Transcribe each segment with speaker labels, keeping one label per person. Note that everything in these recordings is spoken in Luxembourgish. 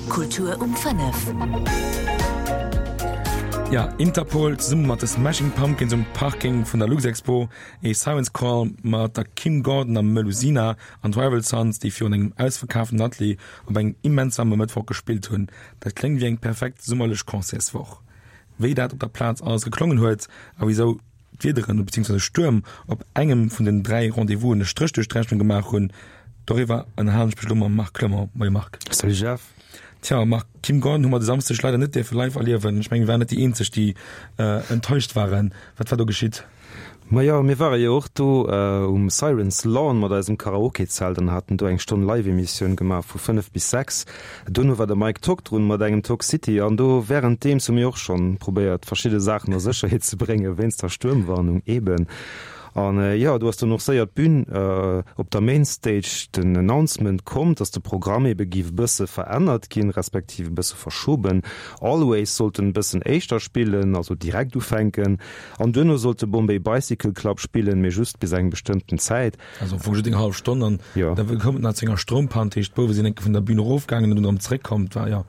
Speaker 1: Kultur um 5.
Speaker 2: Ja, Interpol zesumme mat de Smashing Pumpkins um Parking vun der Luxexpo, ee Siren's Call mat der Kim Gordon a Melusina an d'Rival Sons, déi virun engem ausverkaaften Atelier op engem immens waarme Mëttwoch gespillt hunn. Dat kléngt wéi eng perfekt summerlech Concertswoch. Wéi dat op der Plaz alles geklongen huet a wisou d'Wiederen beziehungsweise Stuerm op engem vun den 3 Rendez-vousen e Stréch duerch d'Rechnung gemaach hunn, doriwwer ënnerhalen ech mech elo mam Marc Clement. Moie Marc.
Speaker 3: Salut Jeff.
Speaker 2: Tja Marc, d'Kim Gordon hu mer de Samsdeg leider net dierfe live erliewen. Ech mengen, mir waren net déi eenzeg, déi enttäuscht waren. Wat war do geschitt?
Speaker 3: Majo, mir ware jo och do um Sirens Lawn mat eisem Karaoke-Zelt an haten do eng Stonn Live-Emissioun gemaach vu 5 bis 6. Dono war de Mike Tock drun mat engem Tock City an do wärenddeems hu mir och schonn probéiert verschidde Saachen a Sécherheet ze bréngen, wéinst der Stuermwarnung eben. An jo, do ass dann och séier d'Bün op der Main Stage den Announcement komm, dass de Programm ebe giff e bësse verännert ginn, respektiv e bësse verschoben. Always sollten e bëssen éischter spillen, also direkt ufänken. An duerno sollt de Bombay Bicycle Club spillen, mee just bis eng bestëmmten Zäit.
Speaker 2: Also am Fong just eng hallef Stonn an da koum et nach zu enger Stroumpann, dat heescht d'Bouwe sinn eng Kéier vun der Bühn erofgaangen an dunn erëm zeréckkomm. Et war jo.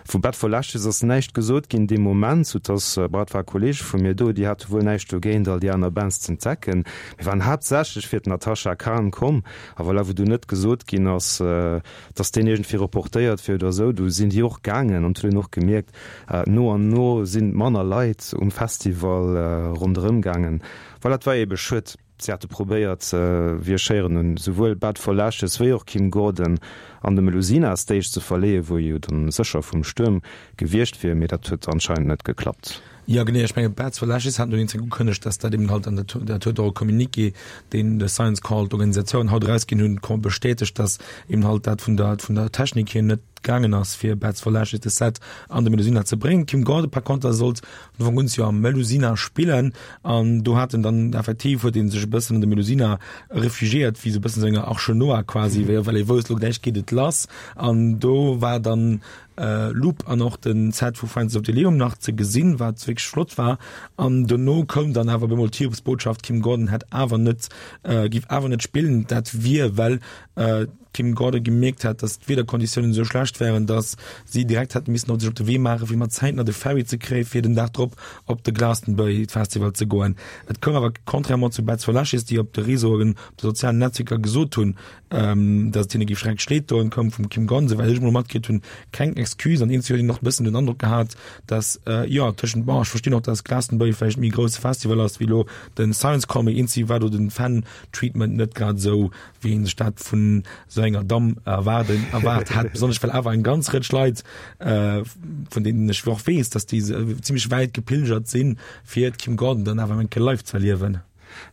Speaker 3: Vu Bad for Lashes ass näischt gesot ginn dee Moment, sou dass, bon, et ware Kollege vu mir do, déi hate wuel näischt dogéint all déi aner Bands z'entdecken. Mir waren haaptsächlech fir d'Natasha Khan komm a voilà, wou du net gesot ginn ass, dass deen iergendwéi reportéiert wier oder esou, du sinn déi och gaangen an et huet een och gemierkt, No an no sinn manner Leit um Festival ronderëm gaangen. Voilà, et war eebe schued. Si hate probéiert, wéi ech héieren hunn, souwuel Bad for Lashes wéi och Kim Gordon an de Melusina Stage ze verleeën, wou jo dann sécher vum Stuerm gewiescht wier, mee dat huet anscheinend net geklappt.
Speaker 2: Jo genee, ech menge Bad for Lashes haten dowéinst ugekënnegt, dass dat eben halt, an dat huet och e Communiqué, deen de Science Call, d'Organisatioun, haut erausginn hunn, bestätegt, dass eben halt dat vun der vun der Technik hier net gaangen ass fir Bats for Lashes de Set an de Melusina ze bréngen. D'Kim Gordon par conter sollt vun Ufank un jo am Melusina spillen an do hat en dann effektiv huet een sech e bëssen an de Melusina refugiéiert wéi sou e bëssen sou enger Arche Noah quasi, wéi well ee wousst lo gläich geet et lass an do war dann Loop an och den Set vu Friends of the Leum nach ze gesinn, wat wierklech flott war an dono koum dann awer bemol d'Hiobsbotschaft, d'Kim Gordon hätt awer net giff awer net spillen, dat wier well d'Kim Gordon gemierkt hat, datt d'Wiederkonditiounen esou schlecht wären, datt si direkt hätte missen op sech op de Wee maachen, fir mat Zäit nach de Ferry ze kréien, fir den Dag drop op de Glastonbury Festival ze goen. Et koum awer, contrairement zu Bats for Lashes, déi op de Réseauen, op de sozialen Netzwierker gesot hunn, datt et hinne géif schrecklech leed doen, koum vum Kim Gordon, souwäit ech emol matkritt hunn, keng Excuse. An iergendwéi huet een och e bëssen den Androck gehat, datt, jo, tëschent, bon, ech verstinn och, datt Glastonbury vläicht méi e grousse Festival ass wéi elo de Science Call, mee iergendwéi war do de Fan-Treatment net grad esou wéi een sech dat vun esou enger Damm erwaarden, erwaart hätt, besonnesch well awer eng ganz Rëtsch Leit, äh, vun deenen ech och weess, dass déi zimmlech wäit gepilgert sinn, fir d'Kim Gordon dann awer eng Kéier live ze erliewen.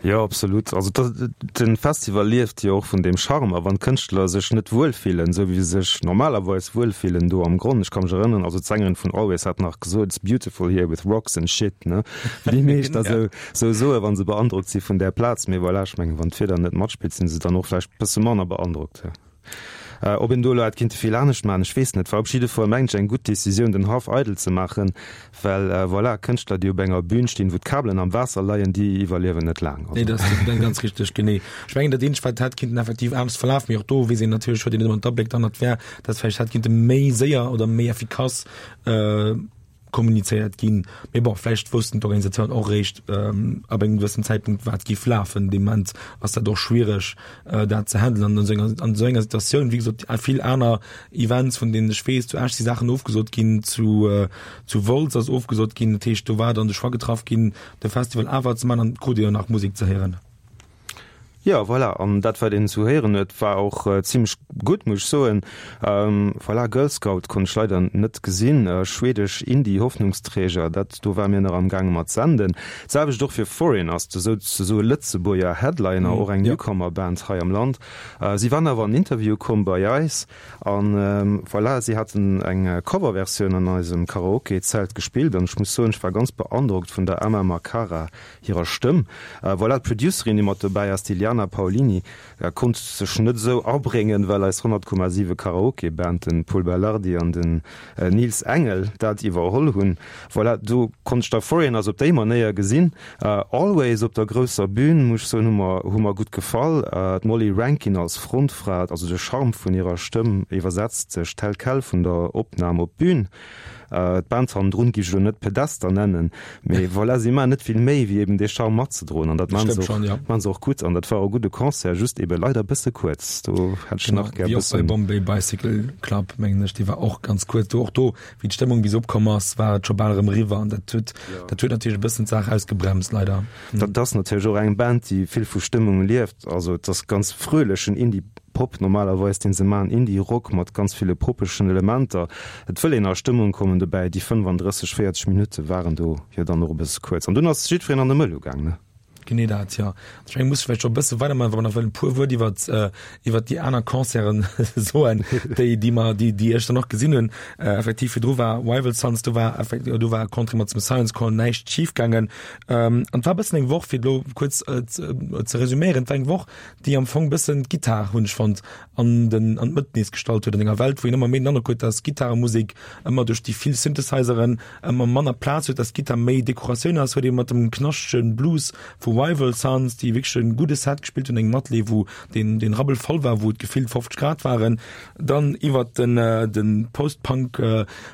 Speaker 3: Jo, absolut. Also de Festival lieft jo och vun deem Charme. A wann d'Kënschtler sech net wuel fillen, esou wéi se sech normalerweis wuel fillen do am Gronn, ech ka mech erënneren, also d'Sängerin vun Always hat nach gesot, It's beautiful here with rocks and shit, ne? Wéi déi meescht da sou sou soe wann se beandrockt si vun där Plaz. Mee voilà, ech mengen, wann d'Wieder net matspillt, sinn se dann och vläicht bësse manner beandrockt. Ob een do elo hätt kinnte vill anescht maachen, ech weess net. War op jidde Fall, mengen ech, eng gutt Decisioun, den Haff eidel ze maachen, well voilà, Kënschtler, déi op enger Bün stinn, wou d'Kabelen am Waasser leien, déi iwwerliewen net laang.
Speaker 2: Nee, dat ass ganz richteg, genee. Ech mengen, dat eenzegt, wat hätt kinnten effektiv anescht verlafen, mee och do weess een natierlech, huet een net ëmmer d'Abléck dann, dat wär, dass vläicht hätt kinnte méi séier oder méi effikass kommunizéiert ginn. Mee bon, vläicht woussten d'Organisateuren och eréischt ab engem gewëssen Zäitpunkt, wat géif lafen. Dee Moment ass dat och schwiereg, dat ze handelen an esou enger, an esou enger Situatioun. Wéi gesot, vill aner Events, vun deenen ech weess, zu Esch si Saachen ofgesot ginn, zu, zu Wolz ass ofgesot ginn. Dat heescht, do war dann de Choix getraff ginn, de Festival awer ze maachen an et krut ee jo nach Musek ze héieren.
Speaker 3: Jo, voilà, an dat wat een esou héieren huet, war och zimlech gutt, muss ech soen. Voilà, Girl Scout konnt ech leider net gesinn, schwedesch Indie-Hoffnungsträger, dat do ware mir nach am gaange mat senden. D'selwecht och fir Foreigners, esou ze soe Lëtzebuerger Headliner, och eng Newcomer-Band hei am Land. Si waren awer an Interview komm bei eis an voilà, si haten eng Coverversioun an eisem Karaoke-Zelt gespillt an ech muss soen, ech war ganz beandrockt vun der Emma Makara hirer Stëmm. Voilà, d'Producerin, déi mat dobäi ass, d'Iliana. D'Adriana Paolini konnt sech net esou abréngen, well eis 100,7 Karaoke-Band, den Pol Belardi an den Nils Engel, dat iwwerholl hunn. Voilà, do konnt ech da Foreigners op déi Manéier gesinn. Always op der grousser Bühn, muss ech soen, hu mer hu mer gutt gefall. D'Molly Rankin als Frontfra, also de Charme vun hirer Stëmm iwwersetzt sech tel quel vun der Opnam op d'Bühn. D'Band hannendrun géif ech elo net Pedester nennen, mee voilà, si maachen net vill méi wéi eben dee Charme matzedroen an dat maachen se och, maachen se och gutt an dat war och e gudde Concert, just ebe leider e bësse kuerz. Do hätt ech nach gär e
Speaker 2: bëssen. Wéi och bei Bombay Bicycle Club, mengen ech, dee war och ganz kuerz. Do och do, wéi d'Stëmmung bis opkomm ass, war et scho bal erëm eriwwer an dat huet, dat huet natierlech e bëssen d'Saach ausgebremst, leider.
Speaker 3: Dat ass natierlech och eng Band, déi vill vu Stëmmung lieft, also et ass ganz fröhlechen Indie. Pop normalerweis, deen se maan, Indie-Rock mat ganz ville poppeschen Elementer. Et wëll een a Stëmmung kommen dobäi. Déi 35, 40 Minutte waren do jo dann och e bësse kuerz. An dunn ass jiddwereen an de Mëll ugaang, ne?
Speaker 2: Genee dat, jo. Ech mengen, muss vläicht scho e bësse weidermaachen, wa mer nach wëllen e puer Wuert iwwert, iwwert déi aner Concerten soen, déi, déi mer, déi, déi ech dann och gesinn hunn. Effektiv, virdru war Rival Sons, do war effekt, do war contrairement zum Science Call näischt schifgaangen. An et war e bëssen eng Woch, fir et elo kuerz ze resüméieren, et war eng Woch, déi am Fong bëssen d'Gittar, hunn ech fonnt, an den an d'Mëtt nees gestallt huet an enger Welt, wou een ëmmer méi den Androck huet, dass Gittaremusek ëmmer duerch déi vill Synthesizeren ëmmer manner Plaz huet, dass d'Gittar méi Dekoratioun ass, huet ee mat dem knaschtege Blues vu Rival Sons, déi wierklech e gudde Set gespillt hunn, engem Atelier, wou den den Rabbel voll war, wou et gefillt 50 Grad waren, dann iwwert den den Post-Punk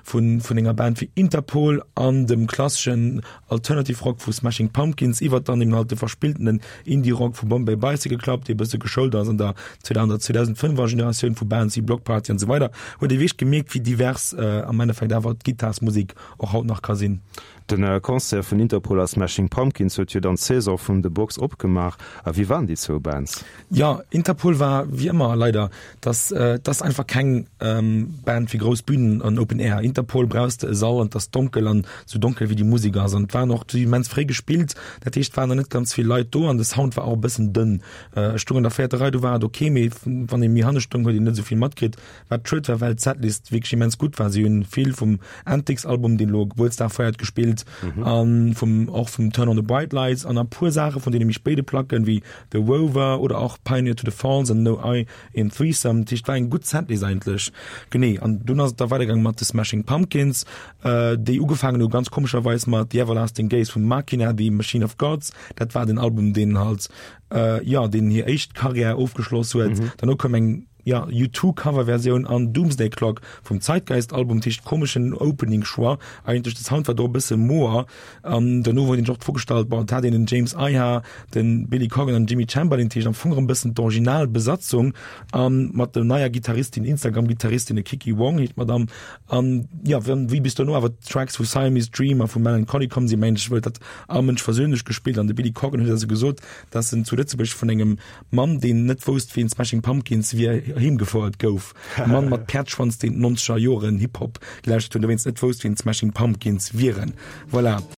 Speaker 2: vun vun enger Band wéi Interpol an dem klasseschen Alternative Rock vu Smashing Pumpkins iwwert dann eben halt de verspilltenen Indie Rock vu Bombay Bicycle Club, dee bësse geschoult ass an der 2005er Generatioun vu Bands wéi Bloc Party an esou weider, huet ee wierklech gemierkt, wéi divers am Endeffekt awer d'Gittarsmusek och haut nach ka sinn.
Speaker 3: De Concert vun Interpol a Smashing Pumpkins huet jo dann d'Saison vun The Box opgemaach. A wéi waren déi zwou Bands?
Speaker 2: Jo, Interpol war wéi ëmmer leider, dass dass einfach keng Band fir grouss Bünen an Open Air. Interpol brauchs de e Sall an 't ass donkel an sou donkel wéi déi Musek ass an et waren och déi immens fréi gespillt, dat heescht et waren nach net ganz vill Leit do an de Sound war och e bëssen dënn. Ech stoung an der véierter Rei, do war et ok, mee wann ee méi hanne stoung huet een net esou vill matkritt, wat schued war, well d'Setlist wierklech immens gutt war. Si hunn vill vum Antics Album, deen elo Gebuertsdag feiert, gespillt an vum och vum Turn on the Bright Lights an e puer Saache vun deene méi spéide Placken wéi The Rover oder och Pioneer to the Falls an No I In Threesome, dat heescht et war eng gutt Setlist eigentlech. Genee, an dunn ass et da weidergaange mat de Smashing Pumpkins, déi ugefaangen hu ganz komescherweis mat The Everlasting Gaze vum Machina, The Machine of Gods. Dat war den Album, deen halt, jo, deen hir éischt Karriär ofgeschloss huet. Derno koum eng, jo, U2-Coverversioun an Doomsday Clock vum Zeitgeist-Album, dat heescht komeschen Opening-Choix eigentlech. De Sound war do e bësse moer. An dono huet een sech och d'Fro gestallt, bon, et hat een den James Iha, de Billy Corgan an den Jimmy Chamberlin, dat heescht am Fong erëm e bëssen d'Originalbesatzung a mat der neier Gittaristin, Instagram-Gittaristin, de Kiki Wong heescht d'Madame. An jo, wéi bis dono awer d'Tracks vu Siamese Dream a vu Mellon Collie komm sinn, mengen ech, huet dat all Mënsch versönlech gespillt. An de Billy Corgan huet also gesot, dass en zu Lëtzebuerg vun engem Mann, deen net wousst, wien d'Smashing Pumpkins wier, heemgefouert gouf. E Mann mat Päerdschwanz, deen d'nonzeger Joren Hip-Hop gelauschtert huet, dowéinst net wousst, wien d'Smashing Pumpkins wieren. Voilà.